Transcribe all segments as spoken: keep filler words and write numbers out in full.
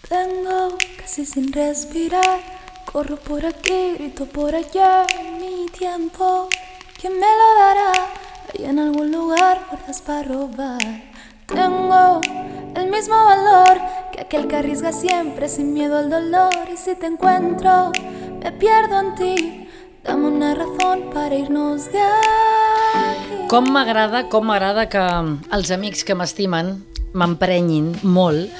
Tengo casi sin respirar, corro por aquí, grito por allá, mi tiempo, ¿quién me lo dará? Hay en algún lugar fuerzas para robar. Tengo el mismo valor que aquel que arriesga siempre sin miedo al dolor. Y si te encuentro, me pierdo en ti. Dame una razón para irnos de aquí. Com m'agrada, com m'agrada que els amics que m'estimen m'emprenyin molt,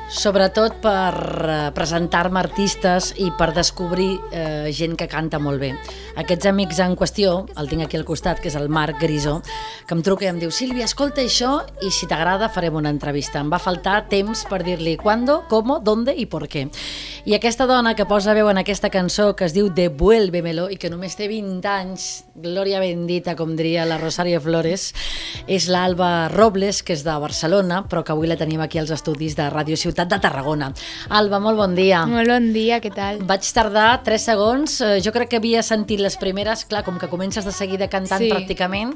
sobretot per eh, presentar-me artistes i per descobrir eh, gent que canta molt bé. Aquests amics en qüestió, el tinc aquí al costat, que és el Marc Grisó, que em truca i em diu: Sílvia, escolta això i si t'agrada farem una entrevista. Em va faltar temps per dir-li quando, cómo, dónde i por qué. I aquesta dona que posa veu en aquesta cançó que es diu Devuélvemelo i que només té vint anys, glòria bendita, com diria la Rosario Flores, és l'Alba Robles, que és de Barcelona, però que avui la tenim aquí als estudis de Ràdio Ciutat de Tarragona. Alba, molt bon dia. Molt bon dia, què tal? Vaig tardar tres segons, jo crec que havia sentit les primeres, clar, com que comences de seguida cantant sí. pràcticament,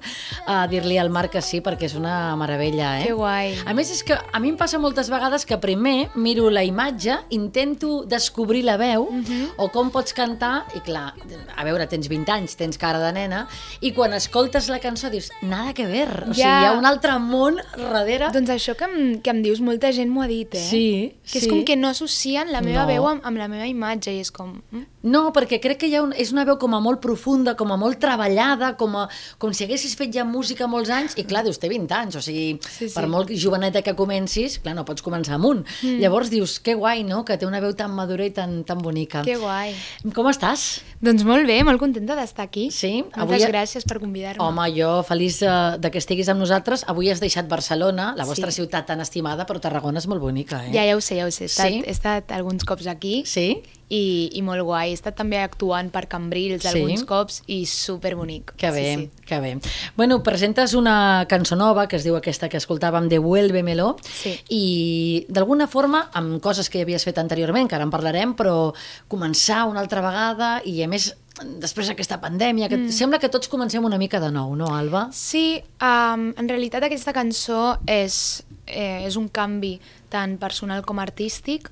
a dir-li al Marc que sí, perquè és una meravella, eh? Que guai. A més, és que a mi em passa moltes vegades que primer miro la imatge, intento descobrir la veu, uh -huh. o com pots cantar, i clar, a veure, tens vint anys, tens cara de nena, i quan escoltes la cançó dius, nada que ver, o sigui, Ja. hi ha un altre món darrere. Doncs això que em, que em dius, molta gent m'ho ha dit, eh? Sí, que sí. és com que no associen la meva No. veu amb, amb la meva imatge, i és com... Mm? No, perquè crec que hi ha un, és una veu com a molt profunda, com a molt treballada, com, a, com si haguessis fet ja música molts anys, i clar, dius, té vint anys, o sigui, Sí, sí. per molt joveneta que comencis, clar, no pots començar amunt. Mm. Llavors dius, que guai, no?, que té una veu tan madura i tan, tan bonica. Que guai. Com estàs? Doncs molt bé, molt contenta d'estar aquí. Sí? Moltes Avui... gràcies per convidar-me. Home, jo feliç de, de que estiguis amb nosaltres. Avui has deixat Barcelona, la vostra Sí. ciutat tan estimada, però Tarragona és molt bonica, eh? Ja, ja ho sé, ja ho sé. He estat, Sí? he estat alguns cops aquí Sí? i, i molt guai. He estat també actuant per Cambrils Sí? alguns cops i superbonic. Que bé, Sí, sí. que bé. Bueno, presentes una cançó nova, que es diu aquesta que escoltàvem, Devuélvemelo, Sí. i d'alguna forma, amb coses que ja havies fet anteriorment, que ara en parlarem, però començar una altra vegada, i a més, després d'aquesta pandèmia, que mm. sembla que tots comencem una mica de nou, no, Alba? Sí, um, en realitat aquesta cançó és, eh, és un canvi tant personal com artístic,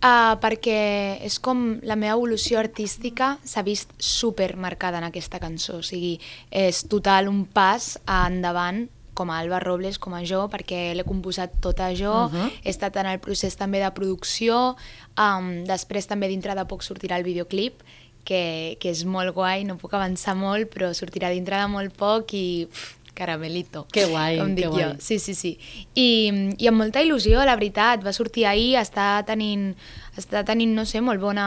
uh, perquè és com la meva evolució artística s'ha vist super marcada en aquesta cançó, o sigui, és total un pas endavant com a Alba Robles, com a jo, perquè l'he composat tota jo, Uh-huh. he estat en el procés també de producció, um, després també dintre de poc sortirà el videoclip, que, que és molt guai, no puc avançar molt, però sortirà dintre de molt poc i pff, caramelito, Que guai, com dic que guai. jo. Sí, sí, sí. I, I amb molta il·lusió, la veritat, va sortir ahir, està tenint, està tenint, no sé, molt bona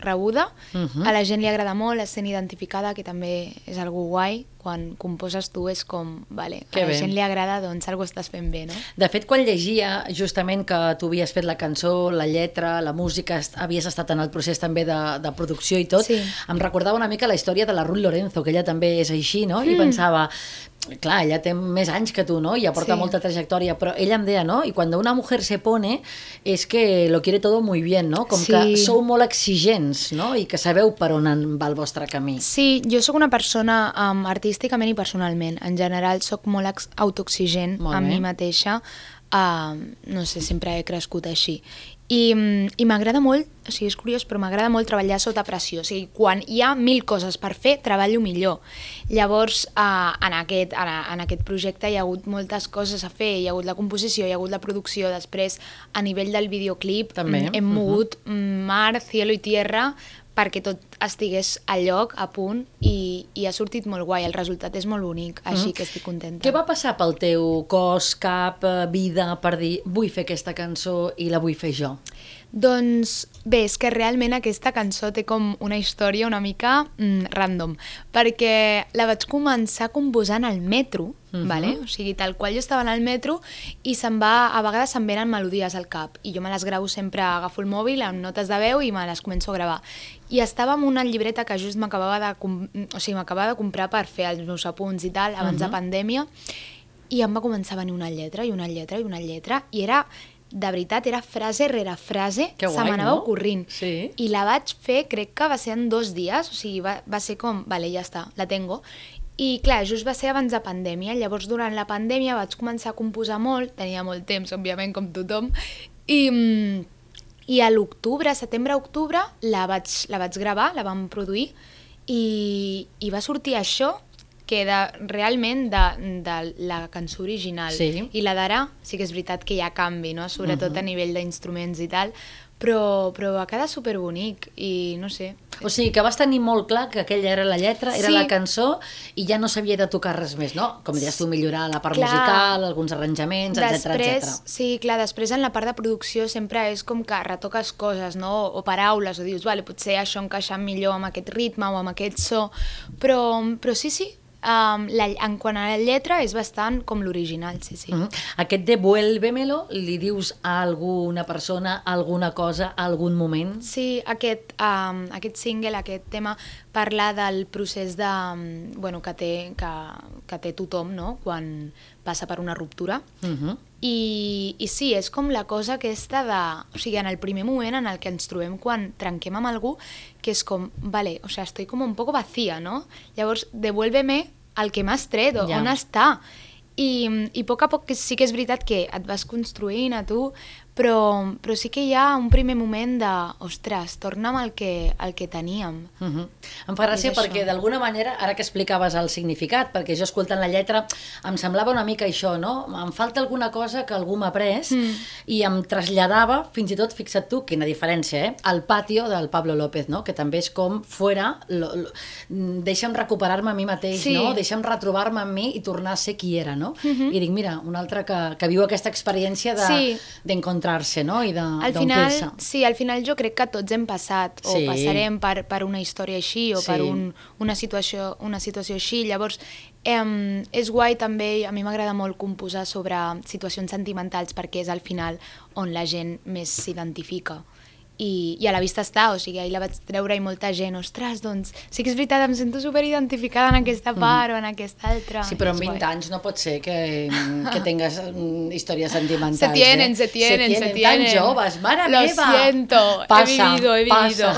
rebuda, Uh-huh. a la gent li agrada molt, és sent identificada, que també és algo guai, quan composes tu és com, vale, Que a la bé. gent li agrada, doncs algo estàs fent bé, no? De fet, quan llegia justament que tu havies fet la cançó, la lletra, la música, est- havies estat en el procés també de, de producció i tot, Sí. em recordava una mica la història de la Ruth Lorenzo, que ella també és així, no? I Mm. pensava, clar, ella té més anys que tu, no? I aporta Sí. molta trajectòria, però ella em deia, no? I quan una mujer se pone, es que lo quiere todo muy bien, no? Com Sí. que sou molt exigents, no? I que sabeu per on en va el vostre camí. Sí, jo sóc una persona um, artísticament i personalment. En general sóc molt ex- autoexigent Molt amb bé. mi mateixa. Uh, no sé, sempre he crescut així. I, mm, i m'agrada molt, o sigui, és curiós, però m'agrada molt treballar sota pressió. O sigui, quan hi ha mil coses per fer, treballo millor. Llavors, uh, en, aquest, en, en aquest projecte hi ha hagut moltes coses a fer. Hi ha hagut la composició, hi ha hagut la producció. Després, a nivell del videoclip, També, mm, hem mogut mm, mar, cielo i tierra perquè tot estigués a lloc, a punt, i, i ha sortit molt guai. El resultat és molt bonic, així que estic contenta. Què va passar pel teu cos, cap, eh, vida, per dir, vull fer aquesta cançó i la vull fer jo? Doncs bé, és que realment aquesta cançó té com una història una mica mm, random, perquè la vaig començar composant al metro, Mhm. vale? O sigui, tal qual jo estava en el metro i se'n va, a vegades se'm venen melodies al cap i jo me les gravo sempre, agafo el mòbil amb notes de veu i me les començo a gravar. I estava amb una llibreta que just m'acabava de, com- o sigui, m'acabava de comprar per fer els meus apunts i tal, abans Mhm. de pandèmia, i em va començar a venir una lletra i una lletra i una lletra i era, de veritat, era frase rere frase, Que se guai, m'anava no? ocorrint. Sí. I la vaig fer, crec que va ser en dos dies, o sigui, va, va ser com, vale, ja està, la tengo. I clar, just va ser abans de pandèmia, llavors durant la pandèmia vaig començar a composar molt, tenia molt temps, òbviament, com tothom, i, mm, I a l'octubre, setembre-octubre, la vaig, la vaig gravar, la vam produir, i, i va sortir això, que de, realment de, de la cançó original. Sí. I la d'ara sí que és veritat que hi ha canvi, no? Sobretot uh-huh. a nivell d'instruments i tal, però, però va quedar superbonic i no sé. O sigui, que vas tenir molt clar que aquella era la lletra, era sí. la cançó i ja no s'havia de tocar res més, no? Com deies tu, millorar la part clar. musical, alguns arranjaments, etcètera, etcètera. Sí, clar, després en la part de producció sempre és com que retoques coses, no? O paraules, o dius, vale, potser això encaixa millor amb aquest ritme o amb aquest so, però, però sí, sí, Um, la, en quant a la lletra és bastant com l'original, sí, sí. Mm-hmm. Aquest Devuélvemelo li dius a alguna persona, a alguna cosa, a algun moment? Sí, aquest, um, aquest single, aquest tema parla del procés de, um, bueno, que, té, que, que té tothom, no? Quan passa per una ruptura. Mm-hmm. I, I sí, és com la cosa aquesta de... O sigui, en el primer moment en el que ens trobem quan trenquem amb algú, que és com, vale, o sea, estoy como un poco vacía, ¿no? Llavors, devuélveme el que m'has tret, ja. On està? I, I a poc a poc sí que és veritat que et vas construint a tu, però, però sí que hi ha un primer moment de, ostres, torna'm el que, el que teníem. Uh-huh. Em fa gràcia perquè d'alguna manera, ara que explicaves el significat, perquè jo escoltant la lletra em semblava una mica això, no? Em falta alguna cosa que algú m'ha pres mm. i em traslladava, fins i tot, fixa't tu, quina diferència, eh? Al patio del Pablo López, no? Que també és com fora, lo, lo, deixa'm recuperar-me a mi mateix, sí. no? Deixa'm retrobar-me amb mi i tornar a ser qui era, no? Uh-huh. I dic, mira, un altre que, que viu aquesta experiència de, sí. d'encontrar-se, no? I de, al final, sí, al final jo crec que tots hem passat o sí. passarem per, per una història així o sí. per un, una, situació, una situació així. Llavors, eh, és guai també, a mi m'agrada molt composar sobre situacions sentimentals perquè és al final on la gent més s'identifica. I, i a la vista està, o sigui, ahir la vaig treure i molta gent, ostres, doncs sí que és veritat, em sento superidentificada en aquesta part mm. o en aquesta altra. Sí, però amb vint anys no pot ser que, que tingues històries sentimentals. Se tienen, eh? se tienen, se tienen. Tan joves, mare Lo meva! Lo siento, passa, he vivido, he vivido.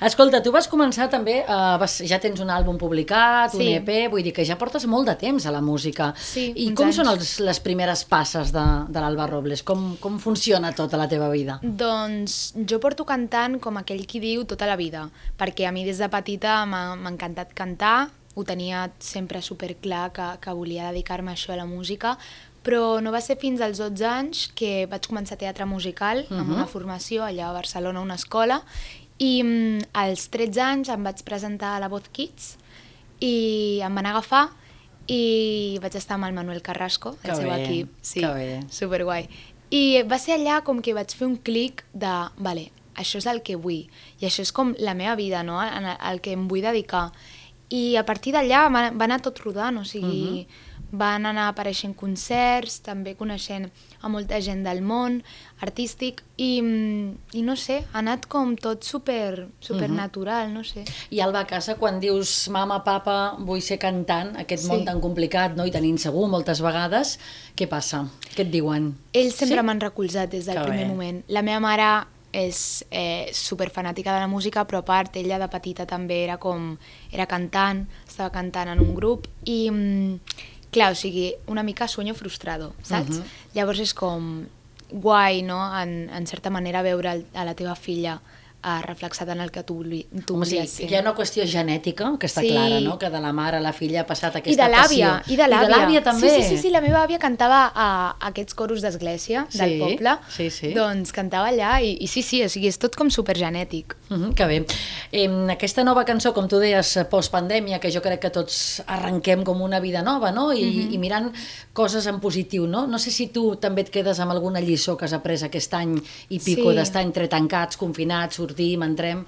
Escolta, tu vas començar també, uh, vas, ja tens un àlbum publicat, sí. un E P, vull dir que ja portes molt de temps a la música. Sí, I com anys. Són els, les primeres passes de, de l'Alba Robles? Com, com funciona tota la teva vida? Doncs jo porto cantant com aquell qui diu tota la vida, perquè a mi des de petita m'ha, m'ha encantat cantar, ho tenia sempre superclar que, que volia dedicar-me a això, a la música, però no va ser fins als dotze anys que vaig començar teatre musical uh-huh. amb una formació allà a Barcelona, a una escola, i mm, als tretze anys em vaig presentar a la Voz Kids i em van agafar i vaig estar amb el Manuel Carrasco, el que seu bé, equip, sí, superguai. I va ser allà com que vaig fer un clic de, vale, això és el que vull, i això és com la meva vida, no? El que em vull dedicar. I a partir d'allà va, va anar tot rodant, o sigui, uh-huh. van anar apareixent concerts, també coneixent a molta gent del món artístic, i, i no sé, ha anat com tot super, super uh-huh. natural, no sé. I Alba, a casa, quan dius mama, papa, vull ser cantant, aquest sí. món tan complicat, no? I tan insegur moltes vegades, què passa? Què et diuen? Ells sempre sí? m'han recolzat des del que primer bé. moment. La meva mare és eh, superfanàtica de la música, però a part, ella de petita també era com, era cantant, estava cantant en un grup, i mm, clar, o sigui, una mica sueño frustrado, saps? Uh-huh. Llavors és com guai, no?, en, en certa manera veure el, a la teva filla uh, reflexat en el que tu, tu Home, volies sí, ser. Hi ha una qüestió genètica, que està sí. clara, no?, que de la mare a la filla ha passat aquesta I de l'àvia, passió. I de l'àvia. I de l'àvia també. Sí, sí, sí, sí, la meva àvia cantava a aquests coros d'església sí, del poble, sí, sí. doncs cantava allà i, i sí, sí, o sigui, és tot com supergenètic. Uh -huh, que bé. Eh, aquesta nova cançó, com tu deies, postpandèmia, que jo crec que tots arrenquem com una vida nova, no?, I, uh -huh. i mirant coses en positiu, no? No sé si tu també et quedes amb alguna lliçó que has après aquest any i pico sí. d'estar entre tancats, confinats, sortim, entrem.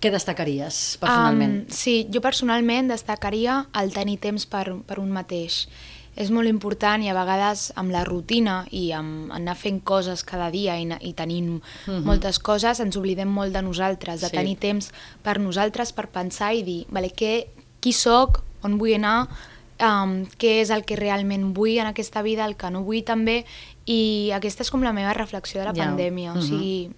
Què destacaries personalment? Um, sí, jo personalment destacaria el tenir temps per, per un mateix. És molt important i a vegades amb la rutina i amb anar fent coses cada dia i, i tenint uh-huh. moltes coses ens oblidem molt de nosaltres, de sí. tenir temps per nosaltres, per pensar i dir, vale, què, qui soc, on vull anar, um, què és el que realment vull en aquesta vida, el que no vull també, i aquesta és com la meva reflexió de la yeah. pandèmia, uh-huh. o sigui...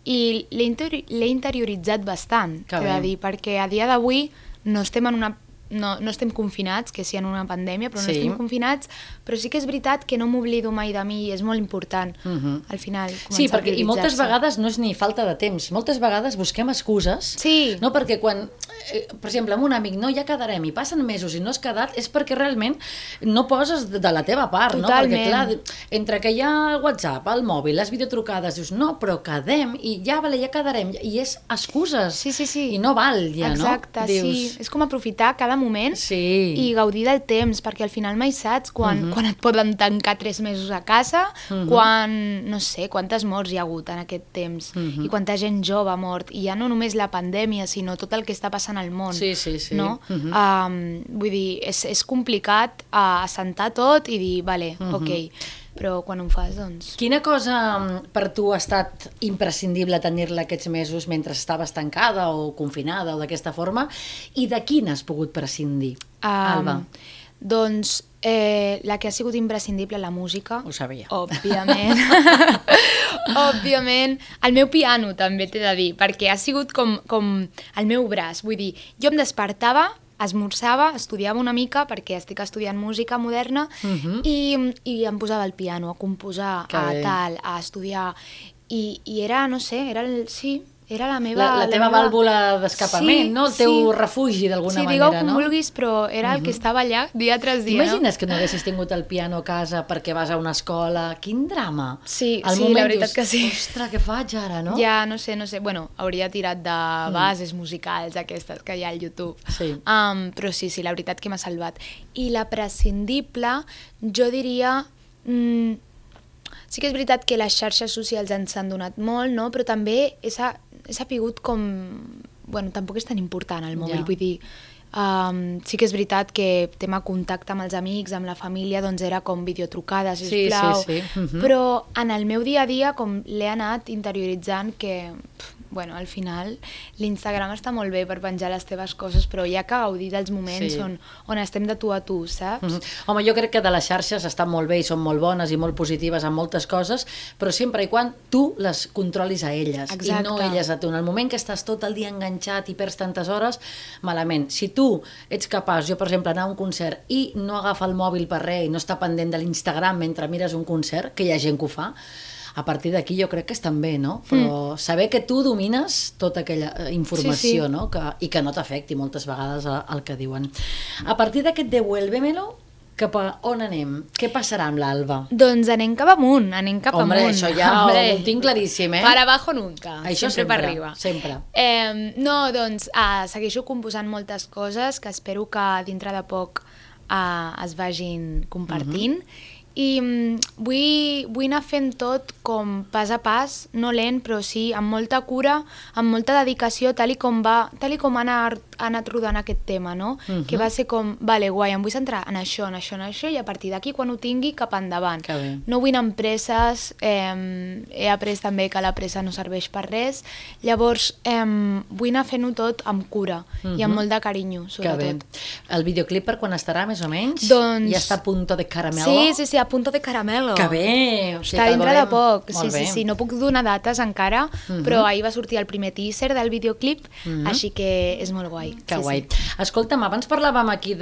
I l'he interioritzat bastant, t'he de dir, perquè a dia d'avui no estem en una no, no estem confinats, que sí en una pandèmia, però no Sí. estem confinats, però sí que és veritat que no m'oblido mai de mi i és molt important, Mhm. al final, començar Sí, a perquè i moltes prioritzar-se. vegades no és ni falta de temps, moltes vegades busquem excuses, Sí. no? Perquè quan, eh, per exemple, amb un amic, no, ja quedarem, i passen mesos i no has quedat, és perquè realment no poses de la teva part, no? Totalment. Perquè clar, entre que hi ha el WhatsApp, el mòbil, les videotrucades, dius, no, però quedem, i ja, vale, ja quedarem, i és excuses, Sí, sí, sí. i no val ja, Exacte, no? sí. És com aprofitar cada moment Sí. i gaudir del temps, perquè al final mai saps quan, uh -huh. quan et poden tancar tres mesos a casa, uh -huh. quan, no sé, quantes morts hi ha hagut en aquest temps, uh -huh. i quanta gent jove ha mort, i ja no només la pandèmia, sinó tot el que està passant al món. Sí, sí, sí. No? Uh -huh. um, vull dir, és, és complicat uh, assentar tot i dir, vale, uh -huh. ok, però quan ho fas, doncs... Quina cosa mm, per tu ha estat imprescindible tenir-la aquests mesos mentre estaves tancada o confinada o d'aquesta forma, i de quina has pogut prescindir, Um, Alba? Doncs eh, la que ha sigut imprescindible, la música. Ho sabia. Òbviament. Òbviament. El meu piano també t'he de dir, perquè ha sigut com, com el meu braç. Vull dir, jo em despertava, esmorzava, estudiava una mica, perquè estic estudiant música moderna, Mhm. i, i em posava al piano, a composar, Que a bé. tal, a estudiar. I, i era, no sé, era el, sí, era la meva... La, la teva meva... vàlvula d'escapament, Sí, no? El teu sí. refugi, d'alguna Sí, manera, digueu com no? vulguis, però era el que estava allà dia tras dia, T'imagines que no haguessis tingut el piano a casa perquè vas a una escola? Quin drama! Sí, Al sí, moment la veritat dius, que sí. Ostres, què faig ara, no? Ja, no sé, no sé, bueno, hauria tirat de bases musicals aquestes que hi ha al YouTube. Sí. Um, però sí, sí, la veritat que m'ha salvat. I la prescindible, jo diria... Mm, sí que és veritat que les xarxes socials ens han donat molt, no? Però també he, sa he sapigut com... Bueno, tampoc és tan important el mòbil, Ja. vull dir... Um, sí que és veritat que tema contacte amb els amics, amb la família, doncs era com videotrucades, Sí, sisplau. sí, sí. Mhm. Però en el meu dia a dia com l'he anat interioritzant que, pf, bueno, al final l'Instagram està molt bé per penjar les teves coses, però hi ha que gaudir dels moments Sí. on, on estem de tu a tu, saps? Mhm. Home, jo crec que de les xarxes estan molt bé i són molt bones i molt positives en moltes coses, però sempre i quan tu les controlis a elles. Exacte. I no elles a tu. En el moment que estàs tot el dia enganxat i perds tantes hores, malament. Si tu ets capaç, jo per exemple, anar a un concert i no agafa el mòbil per res i no està pendent de l'Instagram mentre mires un concert, que hi ha gent que ho fa, a partir d'aquí jo crec que estan bé, no? Però mm. saber que tu domines tota aquella eh, informació, Sí, sí. no? Que, i que no t'afecti moltes vegades el, el que diuen. A partir d'aquest Devuélvemelo, cap a on anem? Què passarà amb l'Alba? Doncs anem cap amunt, anem cap Hombre, amunt. això ja Hombre. ho tinc claríssim, eh? Para abajo nunca, Això sempre, per arriba. sempre. Eh, no, doncs uh, segueixo composant moltes coses que espero que dintre de poc uh, es vagin compartint. I mm, vull, vull anar fent tot com pas a pas, no lent, però sí amb molta cura, amb molta dedicació, tal i com va, tal i com ha anat, ha anat rodant aquest tema, no? Mhm. Que va ser com, vale, guai, em vull centrar en això, en això, en això, i a partir d'aquí, quan ho tingui, cap endavant. Que bé. No vull anar amb presses, eh, he après també que la pressa no serveix per res, llavors eh, vull anar fent-ho tot amb cura i amb molt de carinyo, Que bé. sobretot. El videoclip per quan estarà, més o menys? Doncs- Ja està a punto de caramelo? Sí, sí, sí, a punto de caramelo. Que bé! O sigui, Està que el dintre de veurem. poc, Molt sí, sí, bé. sí, no puc donar dates encara, però ahir va sortir el primer teaser del videoclip, així que és molt guai. Que sí, guai. Sí. Escolta'm, abans parlàvem aquí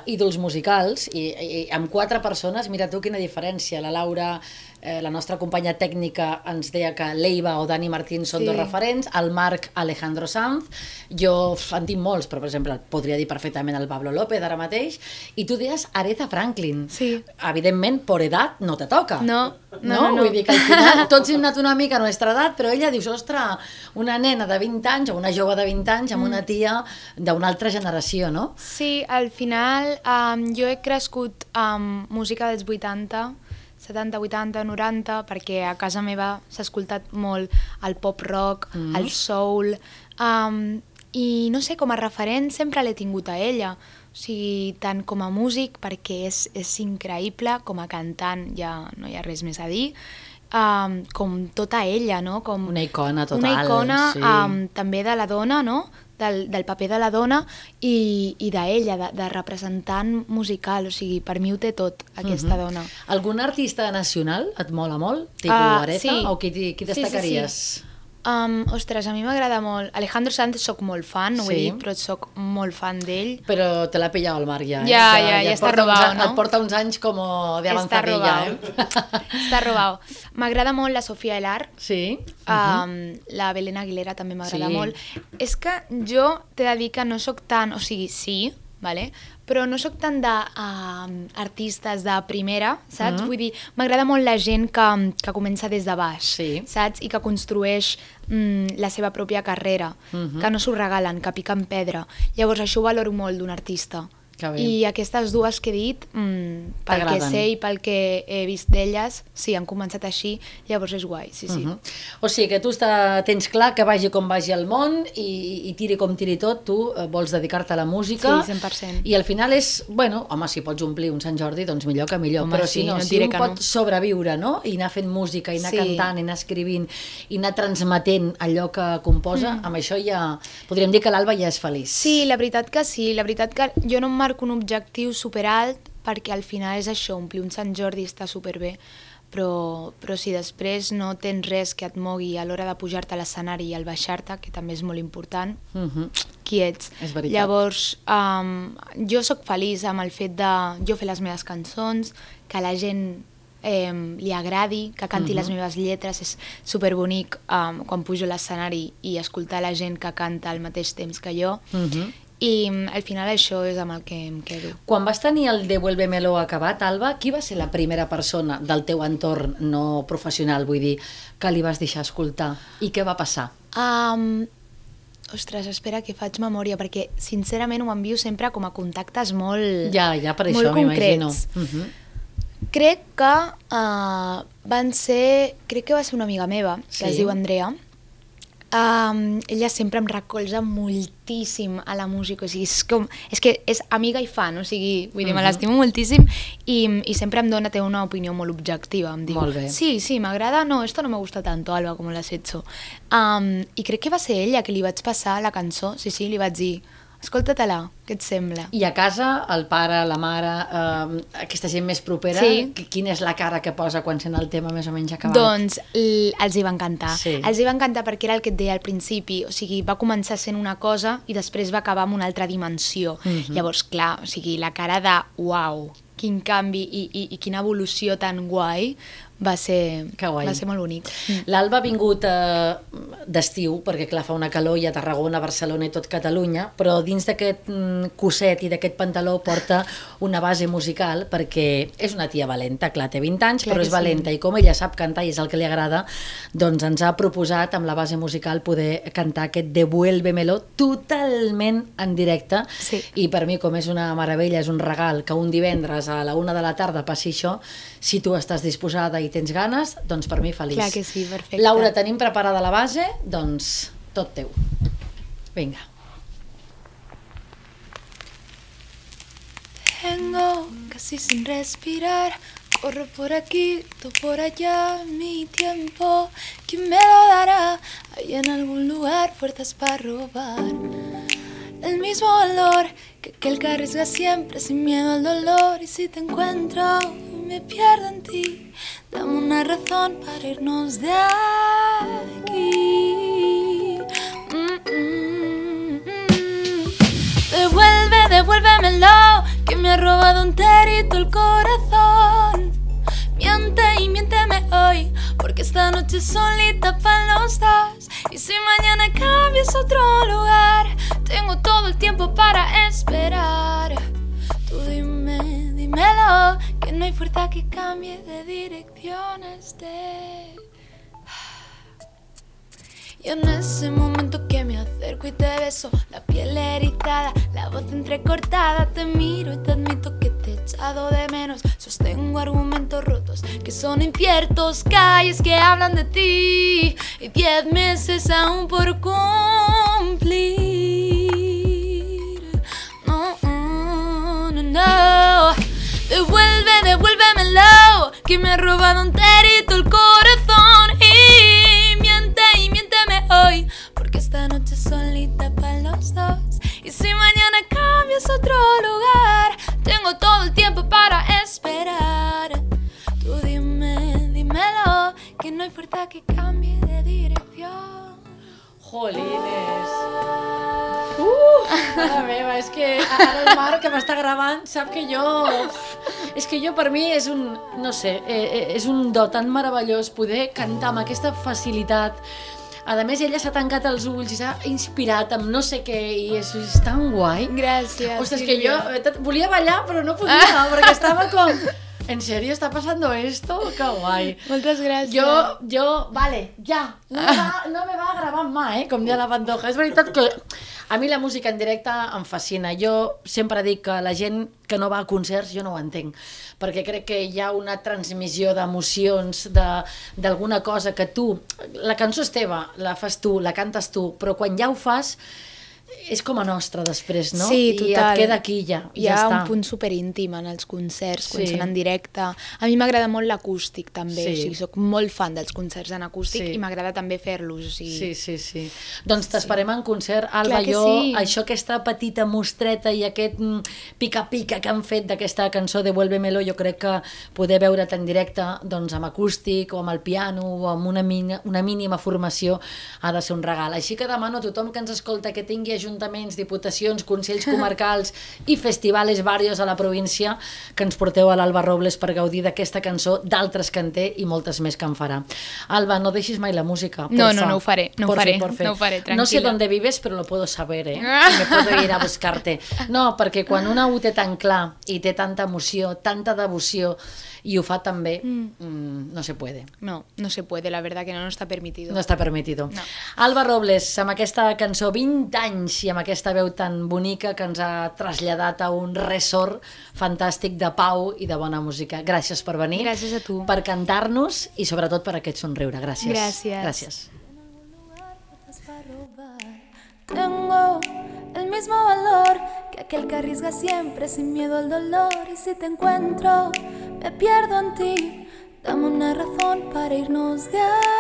d'ídols musicals i, i amb quatre persones, mira tu quina diferència. La Laura, eh, la nostra companya tècnica, ens deia que l'Eiva o Dani Martín són Sí. dos referents, el Marc Alejandro Sanz, jo f, en tinc molts, però per exemple podria dir perfectament el Pablo López ara mateix, i tu deies Aretha Franklin. Sí. Evidentment, per edat no te toca. No, no, no, no. Vull dir que al final tots hem anat una mica a nostra edat, però ella dius, ostres, una nena de vint anys o una jove de vint anys amb una tia d'una altra generació, no? Sí, al final um, jo he crescut amb música dels vuitanta, setanta, vuitanta, noranta, perquè a casa meva s'ha escoltat molt el pop-rock, mm. el soul, um, i no sé, com a referent sempre l'he tingut a ella, o sigui, tant com a músic, perquè és, és increïble, com a cantant ja no hi ha res més a dir, um, com tota ella, no? Com Una icona total. una icona sí. um, també de la dona, no? Del, del paper de la dona i, i d'ella, de, de representant musical, o sigui, per mi ho té tot, aquesta uh -huh. dona. Algun artista nacional et mola molt? Tipus Ah, Aretha? sí. O qui, qui Sí, sí, sí. destacaries? Um, ostres, a mi m'agrada molt. Alejandro Sanz soc molt fan, no ho he Sí. dit, però soc molt fan d'ell. Però te l'ha pillat el Marc ja, eh? Ja, ja, ja et està porta uns robado, an- no? Et porta uns anys com de Està avanzadilla, robado. eh? Està robado. M'agrada molt la Sofía Elar. Sí. Um, la Belén Aguilera també m'agrada Sí. molt. És que jo t'he de dir que no sóc tan... O sigui, sí, vale? Però no sóc tant d'artistes de, uh, de primera, saps? Mm. Vull dir, m'agrada molt la gent que, que comença des de baix, Sí. saps? I que construeix mm, la seva pròpia carrera, Mhm. que no s'ho regalen, que piquen pedra. Llavors això ho valoro molt d'un artista. Que bé. I aquestes dues que he dit, mm, pel que T'agraden. sé i pel que he vist d'elles, sí, han començat així, llavors és guai, sí, sí. Uh -huh. O sigui que tu està, tens clar que vagi com vagi el món i, i tiri com tiri tot, tu eh, vols dedicar-te a la música. Sí, cent per cent. I al final és, bueno, home, si pots omplir un Sant Jordi, doncs millor que millor. Home, Però sí, si no, no et si diré un que pot no. sobreviure, no? I anar fent música, i anar Sí. cantant, i anar escrivint, i anar transmetent allò que composa, mm. amb això ja... Podríem dir que l'Alba ja és feliç. Sí, la veritat que sí, la veritat que jo no em marco un objectiu superalt perquè al final és això, omplir un Sant Jordi està superbé, però, però si després no tens res que et mogui a l'hora de pujar-te a l'escenari i al baixar-te, que també és molt important, Uh -huh. qui ets? És veritat. Llavors, um, jo sóc feliç amb el fet de jo fer les meves cançons, que la gent eh, li agradi, que canti Mhm. les meves lletres, és superbonic um, quan pujo a l'escenari i escoltar la gent que canta al mateix temps que jo, Uh -huh. i mm, al final això és amb el que em quedo. Quan vas tenir el Devuélvemelo acabat, Alba, qui va ser la primera persona del teu entorn no professional, vull dir, que li vas deixar escoltar? I què va passar? Um, ostres, espera que faig memòria, perquè sincerament ho envio sempre com a contactes molt, Ja, ja per molt això m'imagino. concrets. Uh -huh. Crec que uh, van ser, crec que va ser una amiga meva, que Sí. es diu Andrea. Um, ella sempre em recolza moltíssim a la música, o sigui, és, com, és que és amiga i fan, o sigui, vull dir, me Mhm. l'estimo moltíssim i, i sempre em dona, té una opinió molt objectiva, em diu, Molt bé. sí, sí, m'agrada, no, esto no me gusta tanto, Alba, como lo has hecho. Um, I crec que va ser ella que li vaig passar la cançó, sí, sí, li vaig dir, escolta-te-la, què et sembla? I a casa, el pare, la mare, eh, aquesta gent més propera, Sí. qui- quina és la cara que posa quan sent el tema més o menys acabat? Doncs l- els hi va encantar. Sí. Els hi va encantar perquè era el que et deia al principi, o sigui, va començar sent una cosa i després va acabar amb una altra dimensió. Mhm. Llavors, clar, o sigui, la cara de uau, quin canvi i, i, i quina evolució tan guai va ser, Que guai. va ser molt bonic. Mm. L'Alba ha vingut eh, d'estiu, perquè clar, fa una calor i a Tarragona, Barcelona i tot Catalunya, però dins d'aquest mm, coset i d'aquest pantaló porta una base musical perquè és una tia valenta, clar, té vint anys, Clar però que és sí. valenta i com ella sap cantar i és el que li agrada, doncs ens ha proposat amb la base musical poder cantar aquest Devuélvemelo totalment en directe Sí. i per mi com és una meravella, és un regal que un divendres a la una de la tarda passi això, si tu estàs disposada i tens ganes, doncs per mi feliç. Clar que sí, perfecte. Laura, tenim preparada la base? Doncs tot teu. Vinga. Tengo casi sin respirar, corro por aquí, grito por allá, mi tiempo, ¿quién me lo dará? Hay en algún lugar fuerzas para robar. El mismo olor que aquel que arriesga siempre sin miedo al dolor. Y si te encuentro y me pierdo en ti, dame una razón para irnos de aquí. Mm, mm, mm. Devuelve, devuélvemelo, que me ha robado enterito el corazón. Miente y miénteme hoy, porque esta noche solita para los dos. Y si mañana cambias a otro lugar, tengo todo el tiempo para esperar. Tú dime, dímelo, que no hay fuerza que cambie de dirección este. Y en ese momento que me acerco y te beso, la piel erizada, la voz entrecortada, te miro y te admito que te he echado de menos. Sostengo argumentos rotos que son inciertos, calles que hablan de ti y diez meses aún por cumplir. No, no, no. Devuelve, devuélvemelo, que me ha robado enterito el corazón. Y miente y miénteme hoy, porque esta noche solita para los dos. Y si mañana cambias a otro lugar, tengo todo el tiempo para esperar. Tú dime, dímelo, que no hay fuerza que cambie de dirección. Jolines. Uh, mare meva, és que ara el Marc que m'està gravant sap que jo... És que jo per mi és un, no sé, és un do tan meravellós poder cantar amb aquesta facilitat. A més, ella s'ha tancat els ulls i s'ha inspirat amb no sé què i és, és tan guai. Gràcies. Ostres, que jo volia ballar però no podia, ah. perquè estava com... ¿En serio está pasando esto? ¡Qué guai! Moltes gràcies. Jo, jo, vale, ja, no me va, no me va gravant mà, eh, com dia la Pantoja. És veritat que a mi la música en directe em fascina. Jo sempre dic que la gent que no va a concerts jo no ho entenc, perquè crec que hi ha una transmissió d'emocions, d'alguna cosa que tu... La cançó és teva, la fas tu, la cantes tu, però quan ja ho fas... és com a nostra després, no? Sí, total. I et queda aquí ja, Hi ja ha està. un punt superíntim en els concerts, quan Sí. són en directe. A mi m'agrada molt l'acústic, també. Sí. O sigui, soc molt fan dels concerts en acústic Sí. i m'agrada també fer-los. O sigui... Sí, sí, sí. Doncs t'esperem en concert, Alba. Clar que Jo, sí. això, aquesta petita mostreta i aquest mm, pica-pica que han fet d'aquesta cançó de Vuélvemelo, jo crec que poder veure't en directe doncs, amb acústic o amb el piano o amb una, mina, una mínima formació ha de ser un regal. Així que demano a tothom que ens escolta que tingui ajuntaments, diputacions, consells comarcals i festivals varios a la província, que ens porteu a l'Alba Robles per gaudir d'aquesta cançó, d'altres que en té i moltes més que en farà. Alba, no deixis mai la música. No, porfa. no, no ho faré, no ho Porfa, faré, porfa. no ho faré, tranquil·la. No sé dónde vives, però lo puedo saber, eh? Y me puedo ir a buscarte. No, perquè quan una ho té tan clar i té tanta emoció, tanta devoció, i ho fa tan bé, mm, no se puede. No, no se puede, la verdad que no, no está permitido. No està permitido. No. Alba Robles, amb aquesta cançó vint anys i amb aquesta veu tan bonica que ens ha traslladat a un ressort fantàstic de pau i de bona música. Gràcies per venir. Gràcies a tu. Per cantar-nos i sobretot per aquest somriure. Gràcies. Gràcies. Gràcies. Tengo el mismo valor que aquel que arriesga siempre sin miedo al dolor. Y si te encuentro, me pierdo en ti. Dame una razón para irnos de ahí.